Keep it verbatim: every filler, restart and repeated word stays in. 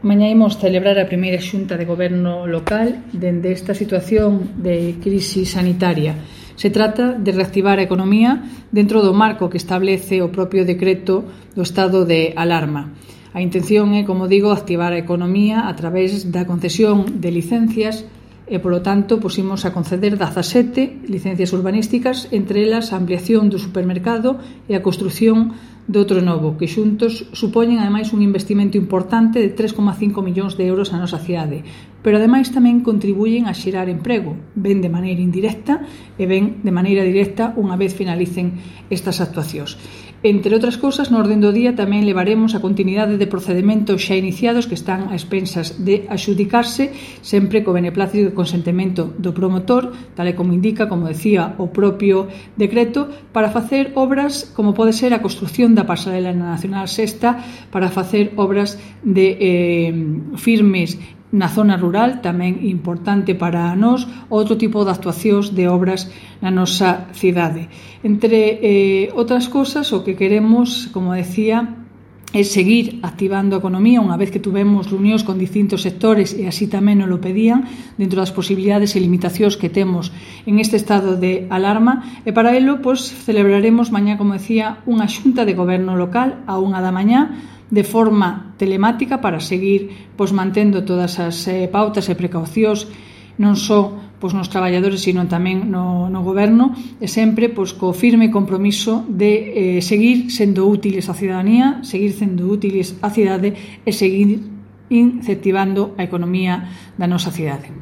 Mañá imos celebrar a primeira xunta de goberno local dende esta situación de crise sanitaria. Se trata de reactivar a economía dentro do marco que establece o propio decreto do estado de alarma. A intención é, como digo, activar a economía a través da concesión de licencias e, polo tanto, pusimos a conceder dezasete licencias urbanísticas, entre elas a ampliación do supermercado e a construción de outro novo, que xuntos supoñen, ademais, un investimento importante de tres coma cinco millóns de euros na nosa cidade, pero, ademais, tamén contribuyen a xerar emprego, ben de maneira indirecta e ben de maneira directa unha vez finalicen estas actuacións. Entre outras cousas, no orden do día tamén levaremos a continuidade de procedementos xa iniciados que están a expensas de axudicarse, sempre co beneplácito e consentimento do promotor, tal e como indica, como decía, o propio decreto, para facer obras como pode ser a construción da pasarela na Nacional Sexta, para facer obras de eh, firmes na zona rural, tamén importante para nós, outro tipo de actuacións de obras na nosa cidade. Entre eh, outras cousas, o que queremos, como decía, é seguir activando a economía unha vez que tuvemos reunións con distintos sectores e así tamén nos lo pedían dentro das posibilidades e limitacións que temos en este estado de alarma, e para ello pues, celebraremos mañá, como decía, unha xunta de goberno local a unha da mañá de forma telemática para seguir pues, mantendo todas as eh, pautas e precaucións non só pues, nos traballadores, sino tamén no, no goberno, e sempre pues, co firme compromiso de eh, seguir sendo útiles á cidadanía, seguir sendo útiles á cidade e seguir incentivando a economía da nosa cidade.